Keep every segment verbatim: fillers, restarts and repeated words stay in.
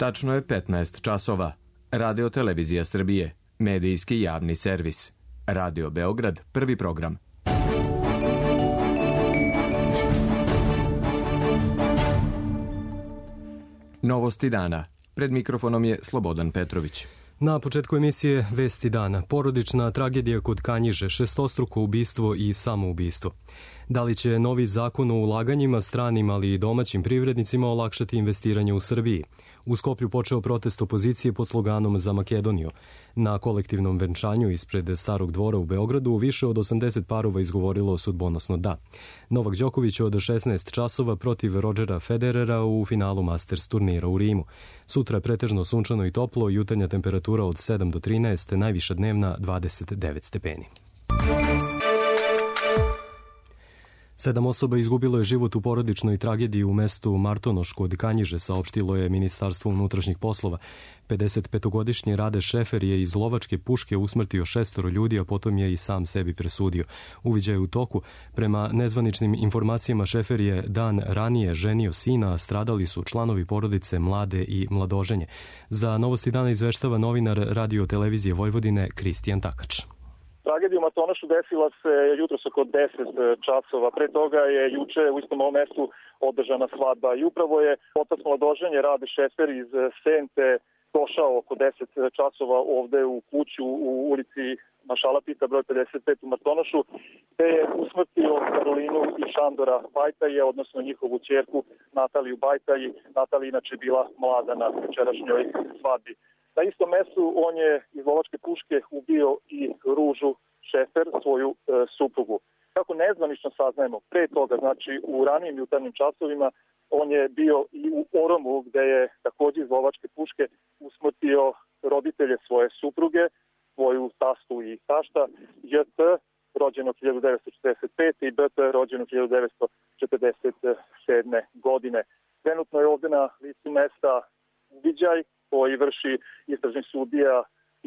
Tačno je petnaest časova. Radio Televizija Srbije, medijski javni servis. Radio Beograd, prvi program. Novosti dana. Pred mikrofonom je Slobodan Petrović. Na početku emisije Vesti dana. Porodična tragedija kod Kanjiže, šestostruko ubistvo i samoubistvo. Da li će novi zakon o ulaganjima stranim, ali i domaćim privrednicima olakšati investiranje u Srbiji? U Skoplju počeo protest opozicije pod sloganom Za Makedoniju. Na kolektivnom venčanju ispred Starog dvora u Beogradu više od osamdeset parova izgovorilo sudbonosno da. Novak Đoković od šesnaest časova protiv Rodžera Federera u finalu Masters turnira u Rimu. Sutra pretežno sunčano i toplo, jutarnja temperatura od sedam do trinaest, najviša dnevna dvadeset devet stepeni. Sedam osoba izgubilo je život u porodičnoj tragediji u mestu Martonoš kod Kanjiže, saopštilo je Ministarstvo unutrašnjih poslova. pedesetpetogodišnji Rade Šefer je iz lovačke puške usmrtio šestoro ljudi, a potom je i sam sebi presudio. Uviđaj u toku. Prema nezvaničnim informacijama, Šefer je dan ranije ženio sina, a stradali su članovi porodice, mlade i mladoženje. Za Novosti dana izveštava novinar Radio Televizije Vojvodine Kristijan Takač. Tragedija u Martonošu desila se jutros oko deset časova. Pre toga je juče u istom ovom mestu održana svadba i upravo je otac mladoženje Rade Šefer iz Sente došao oko deset časova ovde u kuću u ulici Mašala Tita broj pedeset pet u Martonošu, gde je usmrtio Karolinu i Šandora Bajtaje, odnosno njihovu ćerku Nataliju Bajtaji. Natalija inače bila mlada na večerašnjoj svadbi. Na istom mestu on je iz lovačke puške ubio i Ružu Šefer, svoju e, suprugu. Kako nezvanično saznajemo, pre toga, znači u ranijim jutarnjim časovima, on je bio i u Oromu, gde je takođe iz lovačke puške usmrtio roditelje svoje supruge, svoju tastu i tašta, J T, rođenog hiljadu devetsto četrdeset pete i B T, rođenog hiljadu devetsto četrdeset sedme godine. Trenutno je ovde na licu mesta uviđaj koji vrši istražni sudija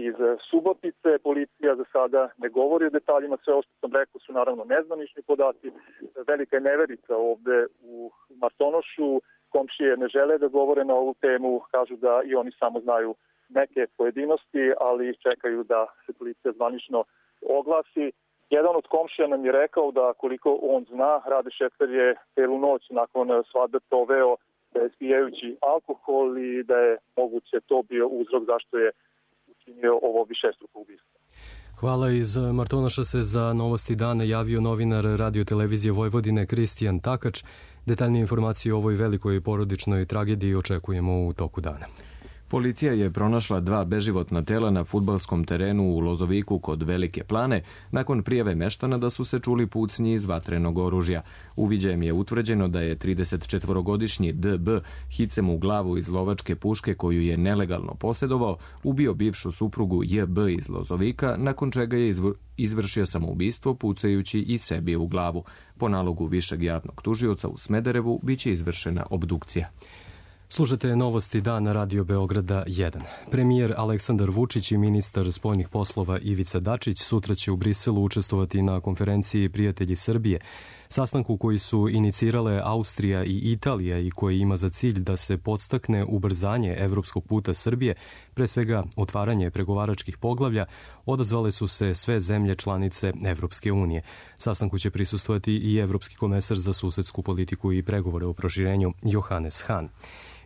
iz Subotice. Policija za sada ne govori o detaljima, sve ovo što sam rekao su naravno nezvanični podaci. Velika je neverica ovde u Martonošu, komšije ne žele da govore na ovu temu, kažu da i oni samo znaju neke pojedinosti, ali čekaju da se policija zvanično oglasi. Jedan od komšija nam je rekao da koliko on zna, Rade Šefer je celu noć nakon svadbe proveo spijajući alkohol i da je moguće to bio uzrok zašto je učinio ovo višestruko ubistvo. Hvala. Iz Martonoša se za Novosti dana javio novinar Radio Televizije Vojvodine Kristijan Takač. Detaljnije informacije o ovoj velikoj porodičnoj tragediji očekujemo u toku dana. Policija je pronašla dva beživotna tela na fudbalskom terenu u Lozoviku kod Velike Plane nakon prijave meštana da su se čuli pucnji iz vatrenog oružja. Uviđajem je utvrđeno da je tridesetčetvorogodišnji D B hicem u glavu iz lovačke puške koju je nelegalno posjedovao ubio bivšu suprugu J B iz Lozovika, nakon čega je izvršio samoubistvo pucajući i sebi u glavu. Po nalogu višeg javnog tužioca u Smederevu biće izvršena obdukcija. Slušate Novosti dana Radio Beograda jedan. Premijer Aleksandar Vučić i ministar spoljnih poslova Ivica Dačić sutra će u Briselu učestvovati na konferenciji Prijatelji Srbije, sastanku koji su inicirale Austrija i Italija i koji ima za cilj da se podstakne ubrzanje evropskog puta Srbije, pre svega otvaranje pregovaračkih poglavlja, odazvale su se sve zemlje članice Evropske unije. Sastanku će prisustvovati i evropski komesar za susedsku politiku i pregovore o proširenju Johannes Hahn.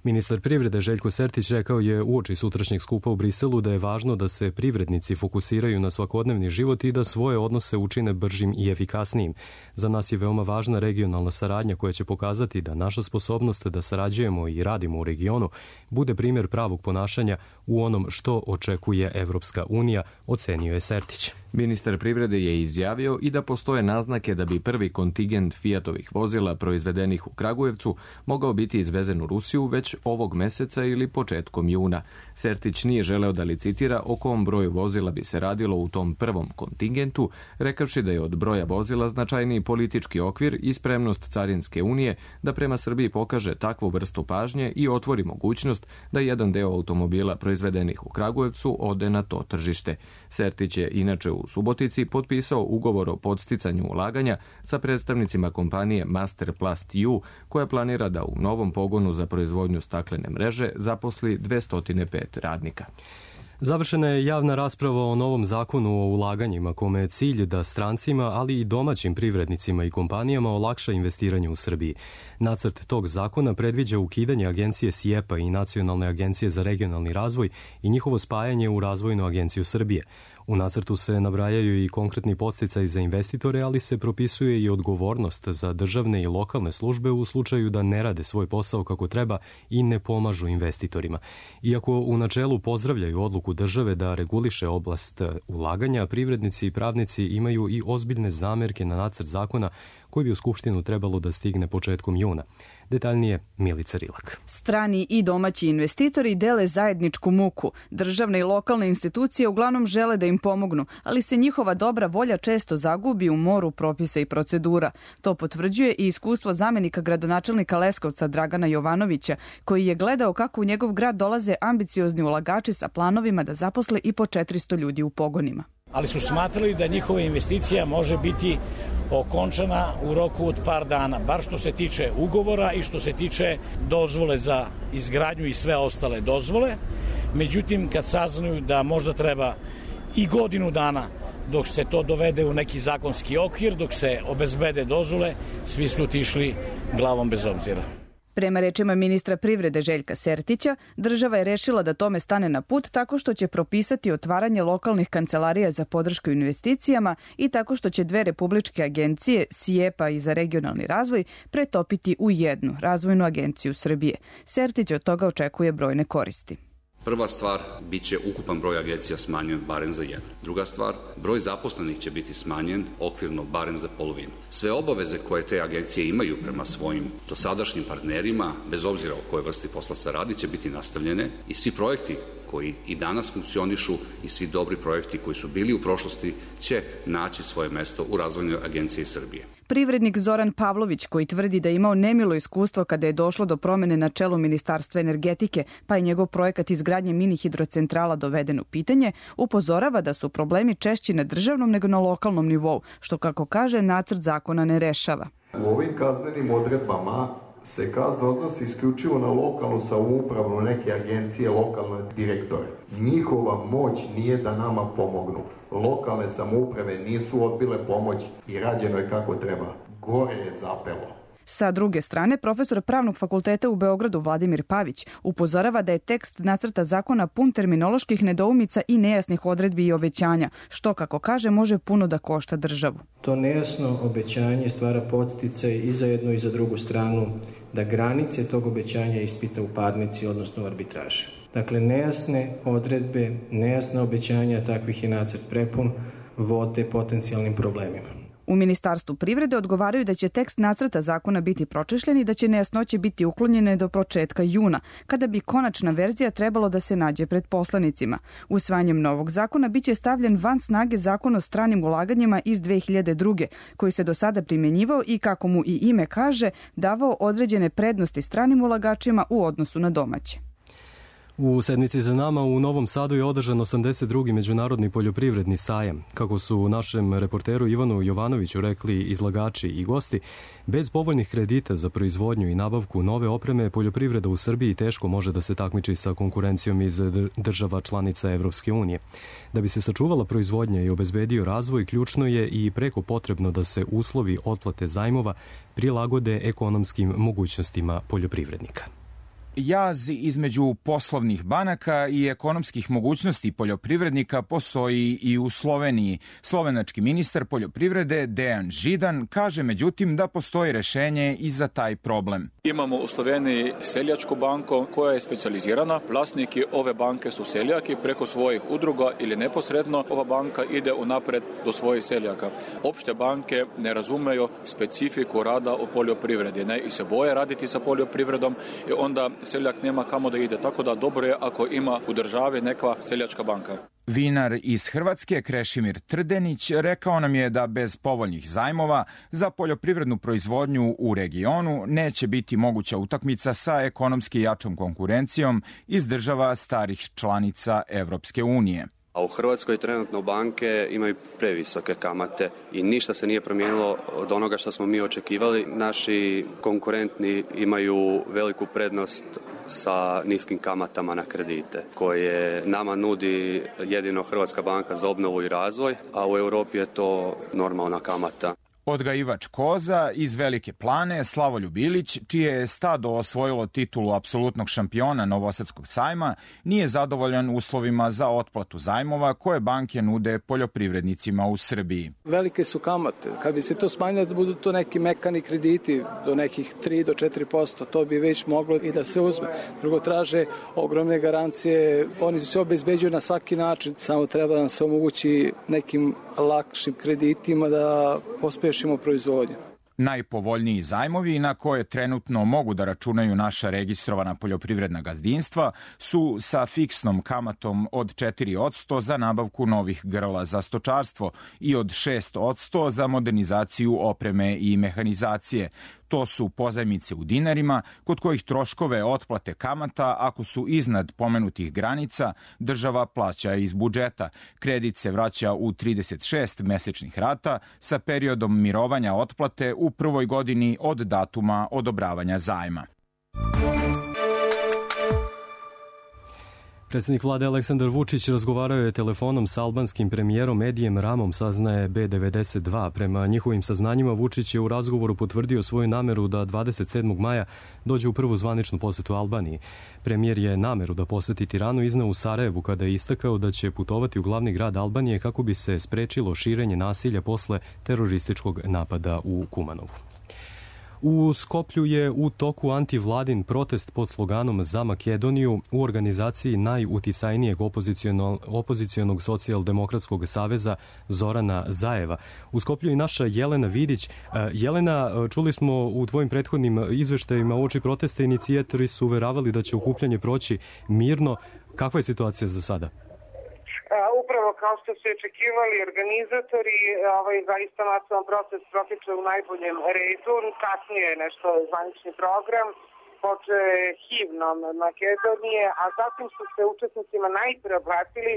Ministar privrede Željko Sertić rekao je uoči sutrašnjeg skupa u Briselu da je važno da se privrednici fokusiraju na svakodnevni život i da svoje odnose učine bržim i efikasnijim. Za nas je veoma važna regionalna saradnja koja će pokazati da naša sposobnost da sarađujemo i radimo u regionu bude primjer pravog ponašanja u onom što očekuje Evropska unija, ocenio je Sertić. Ministar privrede je izjavio i da postoje naznake da bi prvi kontingent Fiatovih vozila proizvedenih u Kragujevcu mogao biti izvezen u Rusiju već ovog meseca ili početkom juna. Sertić nije želeo da licitira o kom broju vozila bi se radilo u tom prvom kontingentu, rekavši da je od broja vozila značajniji politički okvir i spremnost Carinske unije da prema Srbiji pokaže takvu vrstu pažnje i otvori mogućnost da jedan deo automobila proizvedenih u Kragujevcu ode na to tržište. Sertić je inače u Subotici potpisao ugovor o podsticanju ulaganja sa predstavnicima kompanije Masterplast U, koja planira da u novom pogonu za proizvodnju staklene mreže zaposli dvesta pet radnika. Završena je javna rasprava o novom zakonu o ulaganjima, kome je cilj da strancima, ali i domaćim privrednicima i kompanijama olakša investiranje u Srbiji. Nacrt tog zakona predviđa ukidanje agencije SIEPA i Nacionalne agencije za regionalni razvoj i njihovo spajanje u Razvojnu agenciju Srbije. U nacrtu se nabrajaju i konkretni podsticaji za investitore, ali se propisuje i odgovornost za državne i lokalne službe u slučaju da ne rade svoj posao kako treba i ne pomažu investitorima. Iako u načelu pozdravljaju odluku države da reguliše oblast ulaganja, privrednici i pravnici imaju i ozbiljne zamerke na nacrt zakona koji bi u Skupštinu trebalo da stigne početkom juna. Detaljnije Milica Rilak. Strani i domaći investitori dele zajedničku muku. Državne i lokalne institucije uglavnom žele da im pomognu, ali se njihova dobra volja često zagubi u moru propisa i procedura. To potvrđuje i iskustvo zamenika gradonačelnika Leskovca Dragana Jovanovića, koji je gledao kako u njegov grad dolaze ambiciozni ulagači sa planovima da zaposle i po četiristo ljudi u pogonima. Ali su smatrali da njihova investicija može biti okončana u roku od par dana, bar što se tiče ugovora i što se tiče dozvole za izgradnju i sve ostale dozvole. Međutim, kad saznaju da možda treba i godinu dana dok se to dovede u neki zakonski okvir, dok se obezbede dozvole, svi su otišli glavom bez obzira. Prema rečima ministra privrede Željka Sertića, država je rešila da tome stane na put tako što će propisati otvaranje lokalnih kancelarija za podršku investicijama i tako što će dve republičke agencije, SIEPA i za regionalni razvoj, pretopiti u jednu, Razvojnu agenciju Srbije. Sertić od toga očekuje brojne koristi. Prva stvar, bit će ukupan broj agencija smanjen barem za jednu. Druga stvar, broj zaposlenih će biti smanjen okvirno barem za polovinu. Sve obaveze koje te agencije imaju prema svojim dosadašnjim partnerima, bez obzira o kojoj vrsti posla se radi, će biti nastavljene i svi projekti koji i danas funkcionišu i svi dobri projekti koji su bili u prošlosti će naći svoje mesto u Razvojnoj agenciji Srbije. Privrednik Zoran Pavlović, koji tvrdi da je imao nemilo iskustvo kada je došlo do promene na čelu Ministarstva energetike, pa je njegov projekat izgradnje mini hidrocentrala doveden u pitanje, upozorava da su problemi češći na državnom nego na lokalnom nivou, što, kako kaže, nacrt zakona ne rešava. U ovim kaznenim odredbama se kazna odnosi isključivo na lokalnu samoupravu, neke agencije, lokalne direktore. Njihova moć nije da nama pomognu. Lokalne samouprave nisu odbile pomoć i rađeno je kako treba. Gore je zapelo. Sa druge strane, profesor Pravnog fakulteta u Beogradu Vladimir Pavić upozorava da je tekst nacrta zakona pun terminoloških nedoumica i nejasnih odredbi i obećanja, što, kako kaže, može puno da košta državu. To nejasno obećanje stvara podsticaj i za jednu i za drugu stranu da granice tog obećanja ispita u parnici, odnosno u arbitraži. Dakle, nejasne odredbe, nejasne obećanja, takvih je nacrt prepun, vode potencijalnim problemima. U Ministarstvu privrede odgovaraju da će tekst nacrta zakona biti pročešljen i da će nejasnoće biti uklonjene do početka juna, kada bi konačna verzija trebalo da se nađe pred poslanicima. Usvajanjem novog zakona biće stavljen van snage Zakon o stranim ulaganjima iz dve hiljade druge, koji se do sada primjenjivao i, kako mu i ime kaže, davao određene prednosti stranim ulagačima u odnosu na domaće. U sedmici za nama u Novom Sadu je održan osamdeset drugi međunarodni poljoprivredni sajam. Kako su našem reporteru Ivanu Jovanoviću rekli izlagači i gosti, bez povoljnih kredita za proizvodnju i nabavku nove opreme, poljoprivreda u Srbiji teško može da se takmiči sa konkurencijom iz država članica Evropske unije. Da bi se sačuvala proizvodnja i obezbedio razvoj, ključno je i preko potrebno da se uslovi otplate zajmova prilagode ekonomskim mogućnostima poljoprivrednika. Jaz između poslovnih banaka i ekonomskih mogućnosti poljoprivrednika postoji i u Sloveniji. Slovenački ministar poljoprivrede Dejan Židan kaže međutim da postoji rešenje i za taj problem. Imamo u Sloveniji seljačku banku koja je specijalizirana. Vlasniki ove banke su seljaki, preko svojih udruga ili neposredno ova banka ide unapred do svojih seljaka. Opšte banke ne razumeju specifiku rada u poljoprivredi, ne, i se boje raditi sa poljoprivredom i onda seljak nema kamo da ide, tako da dobro je ako ima u državi neka seljačka banka. Vinar iz Hrvatske Krešimir Trdenić rekao nam je da bez povoljnih zajmova za poljoprivrednu proizvodnju u regionu neće biti moguća utakmica sa ekonomski jačom konkurencijom iz država starih članica Evropske unije. A u Hrvatskoj trenutno banke imaju previsoke kamate i ništa se nije promijenilo od onoga što smo mi očekivali. Naši konkurentni imaju veliku prednost sa niskim kamatama na kredite, koje nama nudi jedino Hrvatska banka za obnovu i razvoj, a u Europi je to normalna kamata. Odgajivač koza iz Velike Plane, Slavoljub Ilić, čije je stado osvojilo titulu apsolutnog šampiona Novosadskog sajma, nije zadovoljan uslovima za otplatu zajmova koje banke nude poljoprivrednicima u Srbiji. Velike su kamate. Kad bi se to smanjilo da budu to neki mekani krediti do nekih tri do četiri posto, to bi već moglo i da se uzme. Drugo, traže ogromne garancije, oni se obezbeđuju na svaki način, samo treba da nam se omogući nekim lakšim kreditima da pospešimo proizvodnju. Najpovoljniji zajmovi na koje trenutno mogu da računaju naša registrovana poljoprivredna gazdinstva su sa fiksnom kamatom od četiri posto za nabavku novih grla za stočarstvo i od šest posto za modernizaciju opreme i mehanizacije. To su pozajmice u dinarima, kod kojih troškove otplate kamata, ako su iznad pomenutih granica, država plaća iz budžeta. Kredit se vraća u trideset šest mesečnih rata sa periodom mirovanja otplate u prvoj godini od datuma odobravanja zajma. Predsjednik vlade Aleksandar Vučić razgovarao je telefonom sa albanskim premijerom Edijem Ramom, saznaje B devedeset dva. Prema njihovim saznanjima, Vučić je u razgovoru potvrdio svoju nameru da dvadeset sedmog maja dođe u prvu zvaničnu posetu Albaniji. Premijer je nameru da poseti Tiranu izneo u Sarajevu kada je istakao da će putovati u glavni grad Albanije kako bi se sprečilo širenje nasilja posle terorističkog napada u Kumanovu. U Skoplju je u toku antivladin protest pod sloganom Za Makedoniju u organizaciji najuticajnijeg opozicionog socijaldemokratskog saveza Zorana Zajeva. U Skoplju je naša Jelena Vidić. Jelena, čuli smo u tvojim prethodnim izveštajima uoči protesta, inicijatori su uveravali da će okupljanje proći mirno. Kakva je situacija za sada? Upravo kao što su očekivali organizatori, ovaj zaista masovan protest protiče u najboljem redu. Kasnije je nešto zvanični program, počeo je himnom Makedonije, a zatim su se učesnicima najpre obratili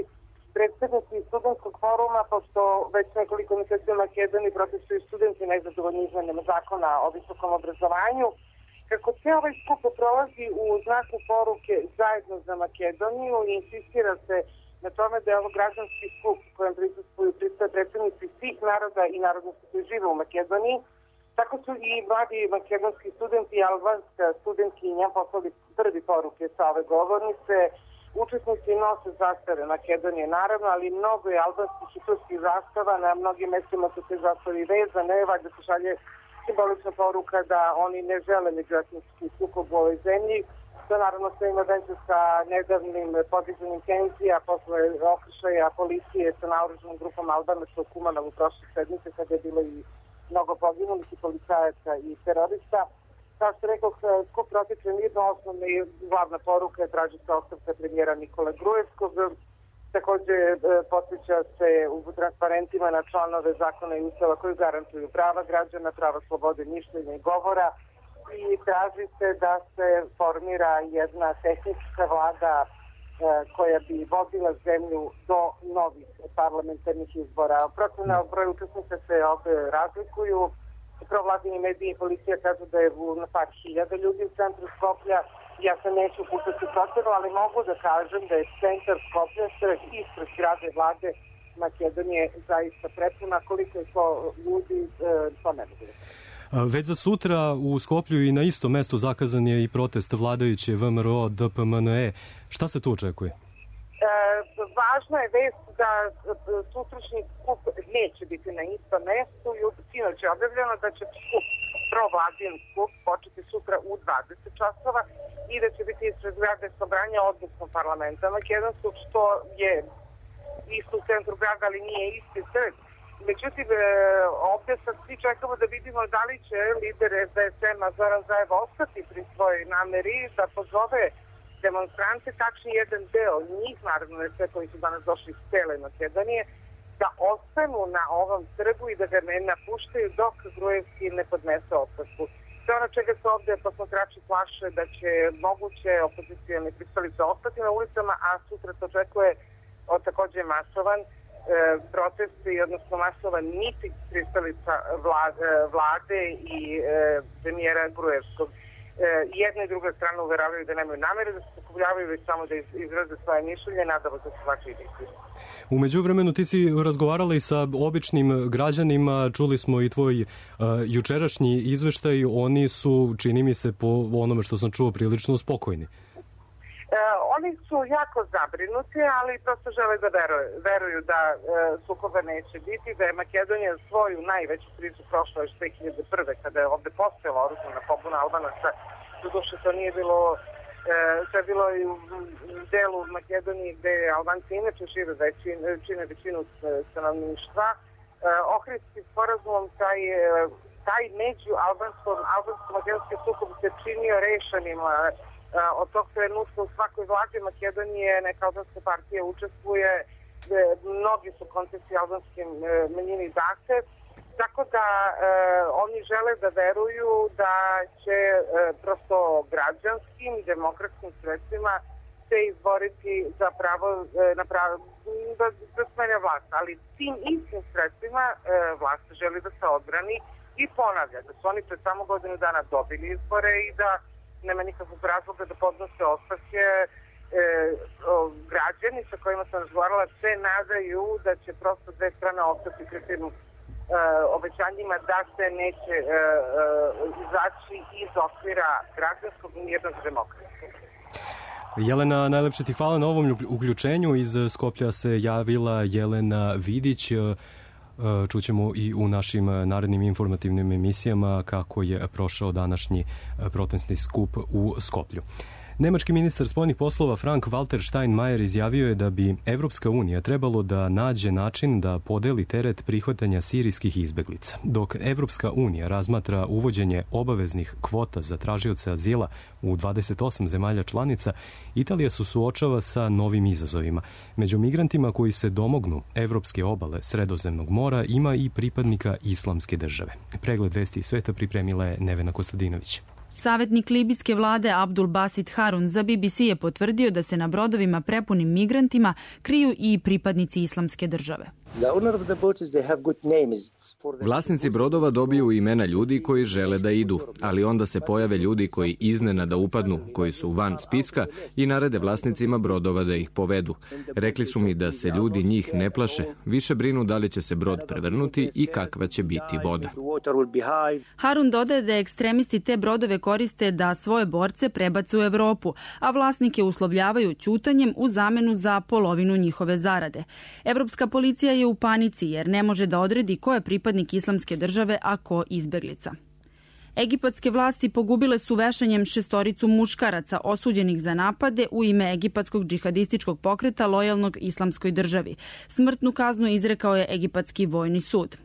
predstavnici studentskog foruma, pošto već nekoliko mjeseci u Makedoniji protestuju studenti nezadovoljni izmenama zakona o visokom obrazovanju. Kako cijel ovaj skup prolazi u znaku poruke Zajedno za Makedoniju i insistira se na tome da je ovo građanski skup kojem prisustvuju predstavnici svih naroda i narodnosti koji žive u Makedoniji. Tako su i mladi makedonski studenti i albanska studentkinja poslali prvi poruke sa ove govornice. Učesnici nose zastave Makedonije, naravno, ali mnogo je albanskih i turskih zastava. Na mnogim mjestima su te zastavi vezane, valjda se šalje simbolična poruka da oni ne žele međuetnički sukob u ovoj zemlji. To naravno sve ima veze sa nedavnim podizanjem tenzija posle okršaja policije sa naoružanom grupom Albanaca u Kumanovu prošle sedmice, kada je bilo i mnogo poginulih i policajaca i terorista. Kao što rekao, skup protiče mirno, osnovna i glavna poruka je traži se ostavka premijera Nikola Grujevskog. Također podsjeća se u transparentima na članove zakona i ustava koji garantuju prava građana, prava slobode mišljenja i govora, i traži se da se formira jedna tehnička vlada e, koja bi vodila zemlju do novih parlamentarnih izbora. Procena broj učesnika se ovdje razlikuju. Provladini mediji i policija kažu da je na par hiljada ljudi u centru Skoplja. Ja se neću uputati procenu, ali mogu da kažem da je centar Skoplja ispred zgrade vlade Makedonije zaista prepuna. Koliko je to ljudi, e, to ne mogu da kažem. Već za sutra u Skoplju i na isto mesto zakazan je i protest vladajuće V M R O D P M N E. Šta se tu očekuje? E, važna je vest da sutrašnji skup neće biti na istom mestu. Sinoć je objavljeno da će skup, provladin skup, početi sutra u dvadeset časova i da će biti ispred zgrade Sobranja, odnosno parlamenta makedonskog, što je isto u centru grada, ali nije isti trg. Međutim, ovdje sad svi čekamo da vidimo da li će lider S D S M-a Zoran Zajev ostati pri svojoj nameri da pozove demonstrante, tačni jedan deo njih, naravno ne sve koji su danas došli iz cele Makedonije, da ostanu na ovom trgu i da ga ne napuštaju dok Grujevski ne podnese ostavku. To je ono čega se ovdje posmatrači plaše da će moguće opozicijone pristalice ostati na ulicama, a sutra se očekuje takođe masovan protesti, odnosno masovan miting pristalica vlade, vlade i premijera Gruevskog. Jedna i druga strana uveravaju da nemaju namere da se sukobljavaju, već samo da izraze svoje mišljenje, nadamo se da se svaki biti. U međuvremenu ti si razgovarala i sa običnim građanima, čuli smo i tvoj uh, jučerašnji izveštaj, oni su, čini mi se po onome što sam čuo, prilično spokojni. E, oni su jako zabrinuti, ali prosto žele da veruju, veruju da e, sukoba neće biti, da je Makedonija svoju najveću krizu prošla još dve hiljade prve. kada je ovde postojala oružana pobuna Albanaca. Doduše to nije bilo, e, to je bilo i u delu Makedonije gde Albanci inače šire većin, čine većinu stanovništva. E, Ohridski sporazumom taj, taj među albansko-makedonski sukob se činio rešenima. Od tog trenutka u svakoj vladi Makedonije neka albanska partija učestvuje, mnogi su koncesije albanskim manjini date, tako da e, oni žele da veruju da će e, prosto građanskim, demokratskim sredstvima se izboriti za pravo e, na pravo da, da smene vlast, ali tim istim sredstvima e, vlast želi da se odbrani i ponavlja da su oni pred samo godinu dana dobili izbore i da nema nikakvog razloga da podnose ostavke. E, građani sa kojima sam razgovarala se nadaju da će prosto dve strane ostati pri tim e, obećanjima da se neće e, e, izaći iz okvira građanskog i jednog demokratskog. Jelena, najlepše ti hvala na ovom uključenju. Iz Skoplja se javila Jelena Vidić. Čućemo i u našim narednim informativnim emisijama kako je prošao današnji protestni skup u Skoplju. Nemački ministar spoljnih poslova Frank-Walter Steinmeier izjavio je da bi Evropska unija trebalo da nađe način da podeli teret prihvatanja sirijskih izbeglica. Dok Evropska unija razmatra uvođenje obaveznih kvota za tražioce azila u dvadeset osam zemalja članica, Italija se suočava sa novim izazovima. Među migrantima koji se domognu evropske obale Sredozemnog mora ima i pripadnika Islamske države. Pregled vesti iz sveta pripremila je Nevena Kostadinović. Savetnik libijske vlade Abdul Basit Harun za B B C je potvrdio da se na brodovima prepunim migrantima kriju i pripadnici Islamske države. Vlasnici brodova dobiju imena ljudi koji žele da idu, ali onda se pojave ljudi koji iznenada upadnu, koji su van spiska i narede vlasnicima brodova da ih povedu. Rekli su mi da se ljudi njih ne plaše, više brinu da li će se brod prevrnuti i kakva će biti voda. Harun dodaje da ekstremisti te brodove koriste da svoje borce prebace u Evropu, a vlasnike uslovljavaju ćutanjem u zamenu za polovinu njihove zarade. Evropska policija je u panici jer ne može da odredi ko je pripadnik Islamske države, a ko izbeglica. Egipatske vlasti pogubile su vešanjem šestoricu muškaraca osuđenih za napade u ime egipatskog džihadističkog pokreta lojalnog Islamskoj državi. Smrtnu kaznu izrekao je egipatski vojni sud.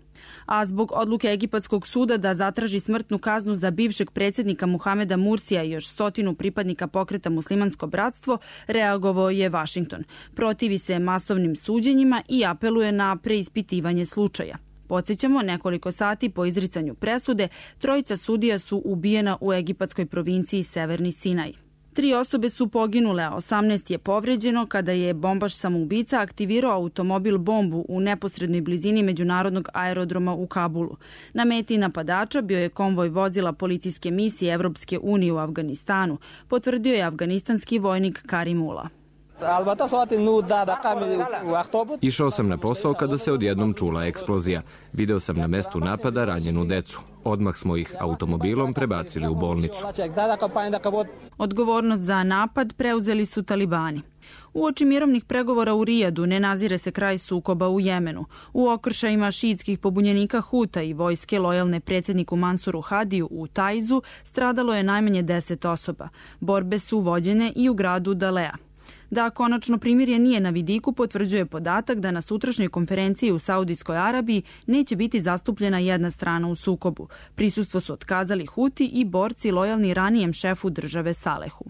A zbog odluke egipatskog suda da zatraži smrtnu kaznu za bivšeg predsjednika Muhameda Mursija i još stotinu pripadnika pokreta Muslimansko bratstvo, reagovao je Vašington. Protivi se masovnim suđenjima i apeluje na preispitivanje slučaja. Podsjećamo, nekoliko sati po izricanju presude, trojica sudija su ubijena u egipatskoj provinciji Severni Sinaj. Tri osobe su poginule, a osamnaest je povređeno kada je bombaš samoubica aktivirao automobil bombu u neposrednoj blizini međunarodnog aerodroma u Kabulu. Na meti napadača bio je konvoj vozila policijske misije Evropske unije u Afganistanu, potvrdio je afganistanski vojnik Karim Ula. Išao sam na posao kada se odjednom čula eksplozija. Video sam na mestu napada ranjenu decu. Odmah smo ih automobilom prebacili u bolnicu. Odgovornost za napad preuzeli su talibani. Uoči mirovnih pregovora u Rijadu ne nazire se kraj sukoba u Jemenu. U okršajima šiitskih pobunjenika Huta i vojske lojalne predsjedniku Mansuru Hadiju u Tajzu stradalo je najmanje deset osoba. Borbe su vođene i u gradu Dalea. Da konačno primirje nije na vidiku potvrđuje podatak da na sutrašnjoj konferenciji u Saudijskoj Arabiji neće biti zastupljena jedna strana u sukobu. Prisustvo su otkazali Huti i borci lojalni ranijem šefu države Salehu.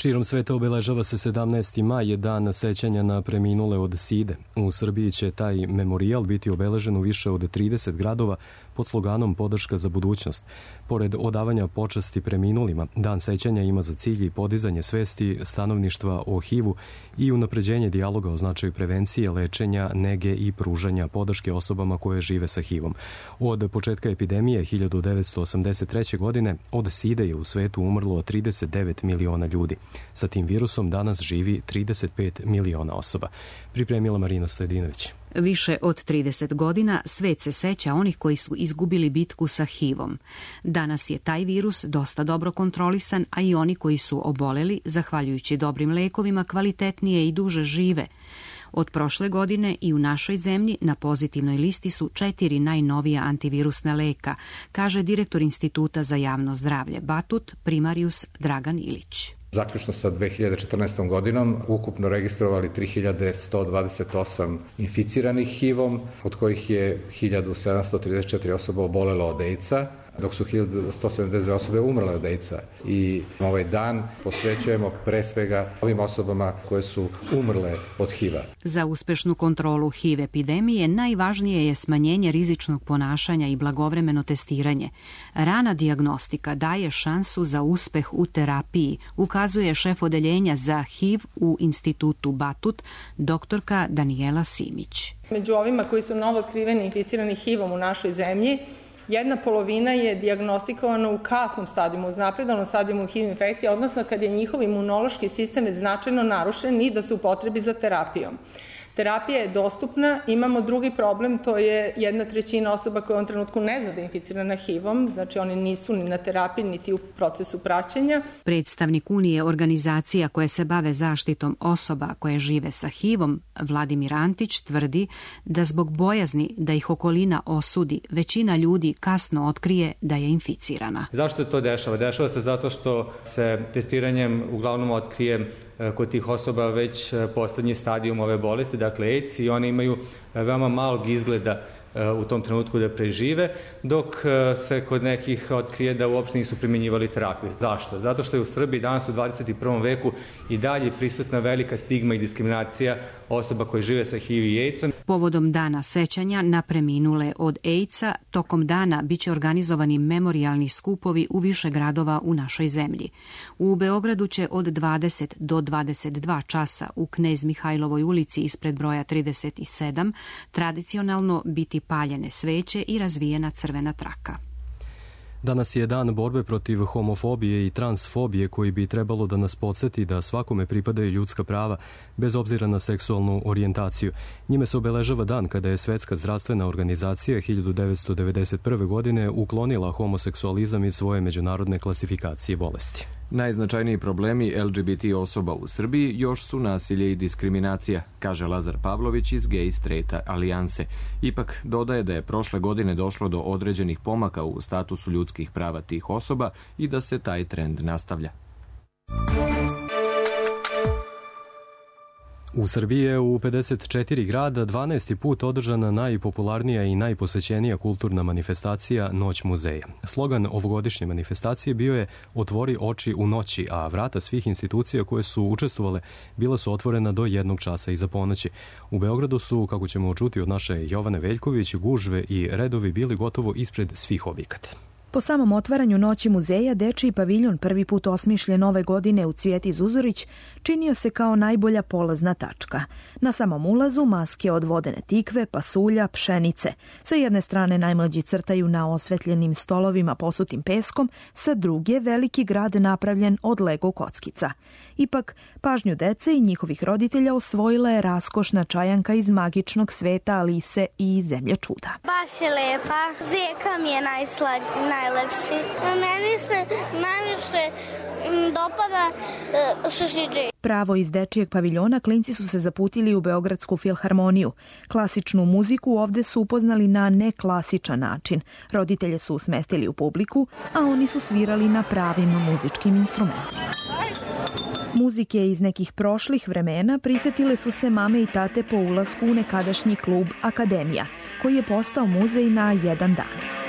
Širom sveta obeležava se sedamnaesti maj, je dan sećanja na preminule od side. U Srbiji će taj memorijal biti obeležen u više od trideset gradova pod sloganom Podrška za budućnost. Pored odavanja počasti preminulima, dan sećanja ima za cilj i podizanje svesti stanovništva o H I V-u i unapređenje dijaloga o značaju prevencije, lečenja, nege i pružanja podrške osobama koje žive sa H I V-om. Od početka epidemije hiljadu devetsto osamdeset treće. godine od side je u svetu umrlo trideset devet miliona ljudi. Sa tim virusom danas živi trideset pet miliona osoba. Pripremila Marina Stojedinović. Više od trideset godina svet se seća onih koji su izgubili bitku sa H I V-om. Danas je taj virus dosta dobro kontrolisan, a i oni koji su oboleli, zahvaljujući dobrim lekovima, kvalitetnije i duže žive. Od prošle godine i u našoj zemlji na pozitivnoj listi su četiri najnovija antivirusna leka, kaže direktor Instituta za javno zdravlje Batut, primarius Dragan Ilić. Zaključno sa dve hiljade četrnaestom. godinom ukupno registrovali tri hiljade sto dvadeset osam inficiranih H I V-om, od kojih je hiljadu sedamsto trideset četiri osoba obolelo od AIDS-a, dok su hiljadu sto sedamdeset dve osobe umrle od AIDS-a. I ovaj dan posvećujemo pre svega ovim osobama koje su umrle od H I V-a. Za uspešnu kontrolu H I V epidemije najvažnije je smanjenje rizičnog ponašanja i blagovremeno testiranje. Rana dijagnostika daje šansu za uspeh u terapiji, ukazuje šef odeljenja za H I V u Institutu Batut, doktorka Danijela Simić. Među ovima koji su novo otkriveni inficirani H I V-om u našoj zemlji, jedna polovina je dijagnostikovana u kasnom stadijumu, uznapredanom stadijumu H I V infekcije, odnosno kad je njihov imunološki sistem značajno narušen i da se upotrebi za terapijom. Terapija je dostupna, imamo drugi problem, to je jedna trećina osoba koja u ovom trenutku ne zna da je inficirana H I V-om, znači oni nisu ni na terapiji, niti u procesu praćenja. Predstavnik Unije organizacija koje se bave zaštitom osoba koje žive sa H I V-om, Vladimir Antić, tvrdi da zbog bojazni da ih okolina osudi, većina ljudi kasno otkrije da je inficirana. Zašto se to dešava? Dešava se zato što se testiranjem uglavnom otkrije kod tih osoba već poslednji stadijum ove bolesti, dakle AIDS, i one imaju veoma malog izgleda u tom trenutku da prežive, dok se kod nekih otkrije da uopšte nisu primjenjivali terapiju. Zašto? Zato što je u Srbiji danas u dvadeset i prvom veku i dalje prisutna velika stigma i diskriminacija osoba koje žive sa H I V i AIDS-om. Povodom dana sećanja na preminule od AIDS-a, tokom dana biće organizovani memorijalni skupovi u više gradova u našoj zemlji. U Beogradu će od dvadeset do dvadeset dva časa u Knez Mihajlovoj ulici ispred broja trideset sedam tradicionalno biti paljene sveće i razvijena crvena traka. Danas je dan borbe protiv homofobije i transfobije koji bi trebalo da nas podsjeti da svakome pripadaju ljudska prava bez obzira na seksualnu orijentaciju. Njime se obeležava dan kada je Svetska zdravstvena organizacija hiljadu devetsto devedeset prve. godine uklonila homoseksualizam iz svoje međunarodne klasifikacije bolesti. Najznačajniji problemi L G B T osoba u Srbiji još su nasilje i diskriminacija, kaže Lazar Pavlović iz Gay Straight alijanse. Ipak dodaje da je prošle godine došlo do određenih pomaka u statusu ljudskih prava tih osoba i da se taj trend nastavlja. U Srbiji je u pedeset četiri grada dvanaesti put održana najpopularnija i najposećenija kulturna manifestacija Noć muzeja. Slogan ovogodišnje manifestacije bio je Otvori oči u noći, a vrata svih institucija koje su učestvovale bila su otvorena do jednog časa iza ponoći. U Beogradu su, kako ćemo čuti od naše Jovane Veljković, gužve i redovi bili gotovo ispred svih objekata. Po samom otvaranju Noći muzeja, dečiji paviljon, prvi put osmišljen ove godine u Cvjeti Zuzorić, činio se kao najbolja polazna tačka. Na samom ulazu maske od vodene tikve, pasulja, pšenice. Sa jedne strane najmlađi crtaju na osvetljenim stolovima posutim peskom, sa druge veliki grad napravljen od Lego kockica. Ipak, pažnju dece i njihovih roditelja osvojila je raskošna čajanka iz magičnog sveta Alise i Zemlje čuda. Baš je lepa. Zeka mi je najslađi, najlepši. Meni se najviše dopada šešidži. Pravo iz dečijeg paviljona klinci su se zaputili u Beogradsku filharmoniju. Klasičnu muziku ovde su upoznali na neklasičan način. Roditelje su smestili u publiku, a oni su svirali na pravim muzičkim instrumentima. Muzike iz nekih prošlih vremena prisetile su se mame i tate po ulasku u nekadašnji klub Akademija, koji je postao muzej na jedan dan.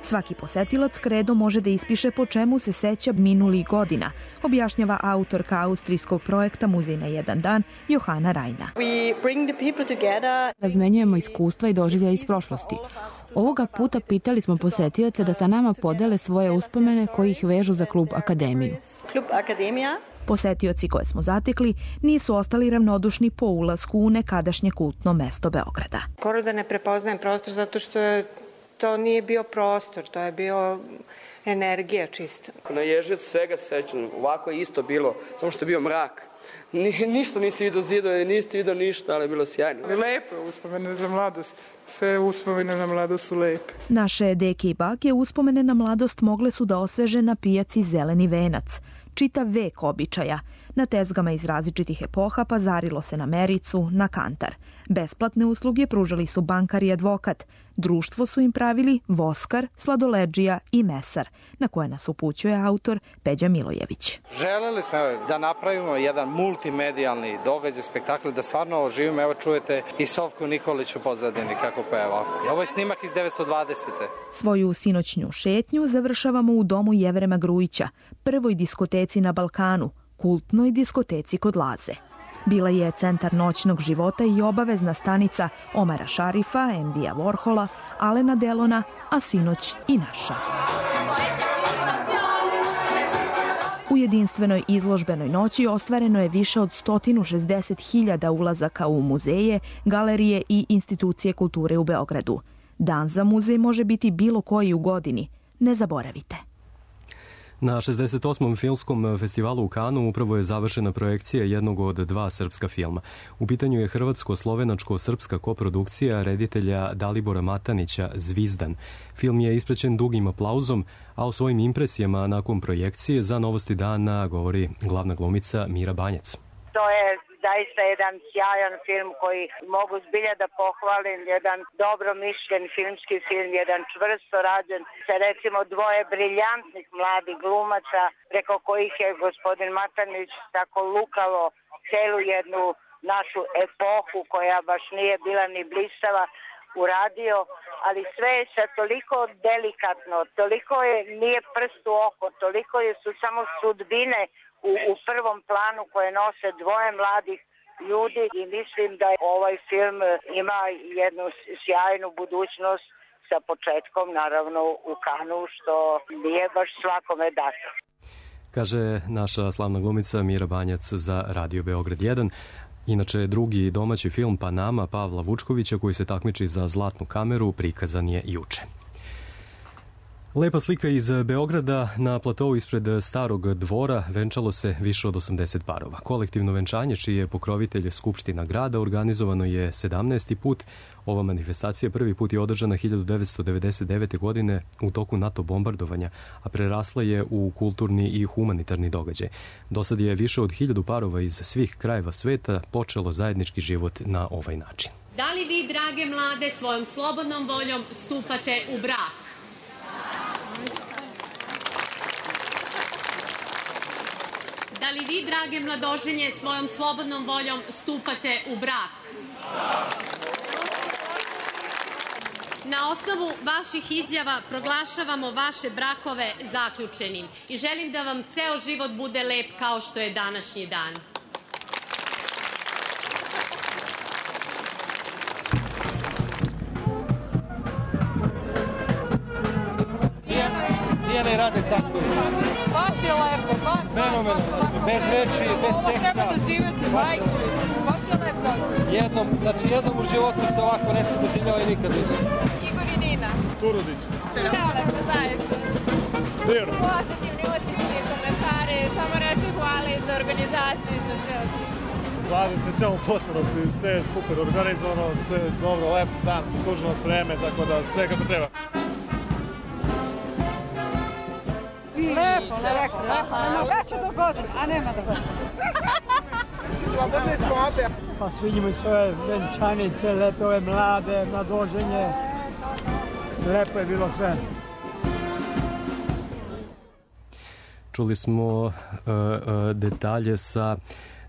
Svaki posetilac kredo može da ispiše po čemu se seća minulih godina, objašnjava autorka austrijskog projekta Muzej na jedan dan, Johana Rajna. Razmenjujemo iskustva i doživljaje iz prošlosti. Ovoga puta pitali smo posetioce da sa nama podele svoje uspomene koji ih vežu za klub Akademiju. Klub Akademija. Posetioci koje smo zatekli nisu ostali ravnodušni po ulasku u nekadašnje kultno mesto Beograda. Skoro da ne prepoznajem prostor zato što to nije bio prostor, to je bio energija čista. Na Ježevac svega sećam, ovako je isto bilo, samo što je bio mrak. Ni, ništa nisi vidio zidove, nisi vidio ništa, ali je bilo sjajno. Lepo je uspomene za mladost. Sve uspomene na mladost su lepe. Naše deke i bake uspomene na mladost mogle su da osveže na pijaci Zeleni venac. Čitav vek običaja. Na tezgama iz različitih epoha pazarilo se na mericu, na kantar. Besplatne usluge pružali su bankar i advokat. Društvo su im pravili voskar, sladoledžija i mesar, na koje nas upućuje autor Peđa Milojević. Želeli smo da napravimo jedan multimedijalni događaj, spektakl, da stvarno oživimo. Evo čujete i Sofku Nikolić u pozadini kako peva. Ovo je snimak iz devetsto dvadesete. Svoju sinoćnju šetnju završavamo u domu Jevrema Grujića, prvoj diskoteci na Balkanu, kultnoj diskoteci kod Laze. Bila je centar noćnog života i obavezna stanica Omara Šarifa, Endija Vorhola, Alena Delona, a sinoć i naša. U jedinstvenoj izložbenoj noći ostvareno je više od sto šezdeset hiljada ulazaka u muzeje, galerije i institucije kulture u Beogradu. Dan za muzej može biti bilo koji u godini. Ne zaboravite. Na šezdeset osmom filmskom festivalu u Kanu upravo je završena projekcija jednog od dva srpska filma. U pitanju je hrvatsko-slovenačko-srpska koprodukcija reditelja Dalibora Matanića Zvizdan. Film je ispraćen dugim aplauzom, a o svojim impresijama nakon projekcije za Novosti dana govori glavna glumica Mira Banjac. To je zaista jedan sjajan film koji mogu zbilja da pohvalim, jedan dobro mišljen filmski film, jedan čvrsto rađen sa recimo dvoje briljantnih mladih glumaca preko kojih je gospodin Matanić tako lukavo celu jednu našu epohu koja baš nije bila ni blistava uradio, ali sve je sa toliko delikatno, toliko je nije prst u oko, toliko je su samo sudbine U, u prvom planu koje nose dvoje mladih ljudi i mislim da ovaj film ima jednu sjajnu budućnost sa početkom naravno u Kanu, što nije baš svakome dato. Kaže naša slavna glumica Mira Banjac za Radio Beograd jedan. Inače, drugi domaći film Panama Pavla Vučkovića koji se takmiči za Zlatnu kameru prikazan je juče. Lepa slika iz Beograda. Na platovu ispred Starog dvora venčalo se više od osamdeset parova. Kolektivno venčanje, čiji je pokrovitelj Skupština grada, organizovano je sedamnaesti put. Ova manifestacija prvi put je održana hiljadu devetsto devedeset devete. godine u toku NATO bombardovanja, a prerasla je u kulturni i humanitarni događaj. Do sad je više od hiljadu parova iz svih krajeva sveta počelo zajednički život na ovaj način. Da li vi, drage mlade, svojom slobodnom voljom stupate u brak? Da li vi, drage mladoženje, svojom slobodnom voljom stupate u brak? Na osnovu vaših izjava proglašavamo vaše brakove zaključenim i želim da vam ceo život bude lep kao što je današnji dan. Dijana i Rade Stanković. Baš je lepo, baš. Fenomenalno, bez reči, bez teksta. Ovo treba doživjeti, majke. Baš je lepo. Jednom, znači jednom u životu se ovako nešto doživljava i nikad više. Igor i Nina. Turudić. Lepo, zaista. Divno. Pozitivni utisni komentari, samo reći hvala i za organizaciju i za ceo tim. Slavim se sve u potpunosti, sve je super organizovano, sve dobro, lepo dan, služeno s vreme, tako da sve kako treba. Lepo, lepo, lepo. Nema veće dogodine, a nema dogodine. Slobodne smo opet. Pa svidimo sve venčanice, lepe ove mlade, mladoženje. Lepo je bilo sve. Čuli smo uh, uh, detalje sa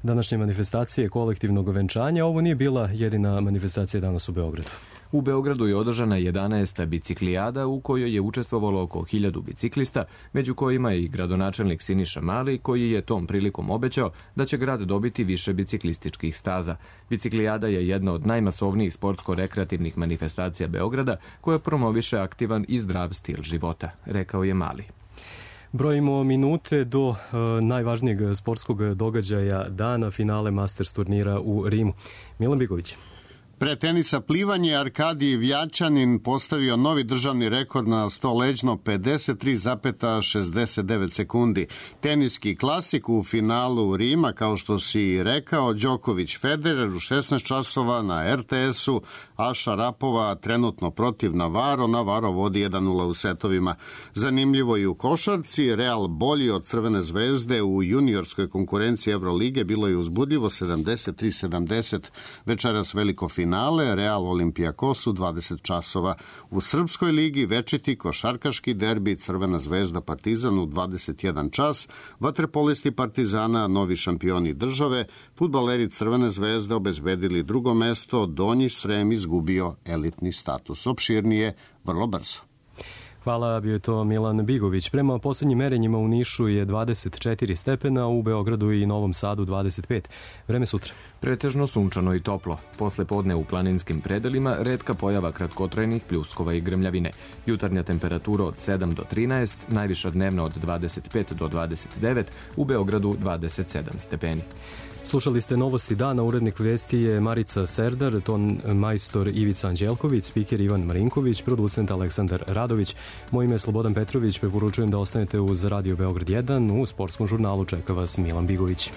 današnje manifestacije kolektivnog venčanja. Ovo nije bila jedina manifestacija danas u Beogradu. U Beogradu je održana jedanaesta biciklijada u kojoj je učestvovalo oko hiljadu biciklista, među kojima je i gradonačelnik Siniša Mali, koji je tom prilikom obećao da će grad dobiti više biciklističkih staza. Biciklijada je jedna od najmasovnijih sportsko-rekreativnih manifestacija Beograda koja promoviše aktivan i zdrav stil života, rekao je Mali. Brojimo minute do e, najvažnijeg sportskog događaja dana, finale Masters turnira u Rimu. Milan Bigović. Pre tenisa plivanje Arkadij Vjačanin postavio novi državni rekord na stoleđno pedeset tri zarez šezdeset devet sekundi. Teniski klasik u finalu Rima, kao što si rekao, Đoković Federer u šesnaest časova na er te esu, a Šarapova trenutno protiv Navaro. Navaro vodi jedan nula u setovima. Zanimljivo i u košarci, Real bolji od Crvene zvezde u juniorskoj konkurenciji Evrolige, bilo je uzbudljivo sedamdeset tri sedamdeset. Večeras veliko finale. Finale Real Olimpijakos u dvadeset časova. U Srpskoj ligi večiti košarkaški derbi Crvena zvezda Partizan u dvadeset jedan čas. Vaterpolisti Partizana novi šampioni države. Fudbaleri Crvene zvezde obezbedili drugo mesto. Donji Srem izgubio elitni status. Opširnije vrlo brzo. Hvala, bio je to Milan Bigović. Prema poslednjim merenjima u Nišu je dvadeset četiri stepena, u Beogradu i Novom Sadu dvadeset pet. Vreme sutra. Pretežno sunčano i toplo. Posle podne u planinskim predelima redka pojava kratkotrajnih pljuskova i grmljavine. Jutarnja temperatura od sedam do trinaest, najviša dnevna od dvadeset pet do dvadeset devet, u Beogradu dvadeset sedam stepeni. Slušali ste Novosti dana, urednik vesti je Marica Serdar, ton majstor Ivica Anđelković, spiker Ivan Marinković, producent Aleksandar Radović. Moje ime je Slobodan Petrović, preporučujem da ostanete uz Radio Beograd jedan, u sportskom žurnalu čeka vas Milan Bigović.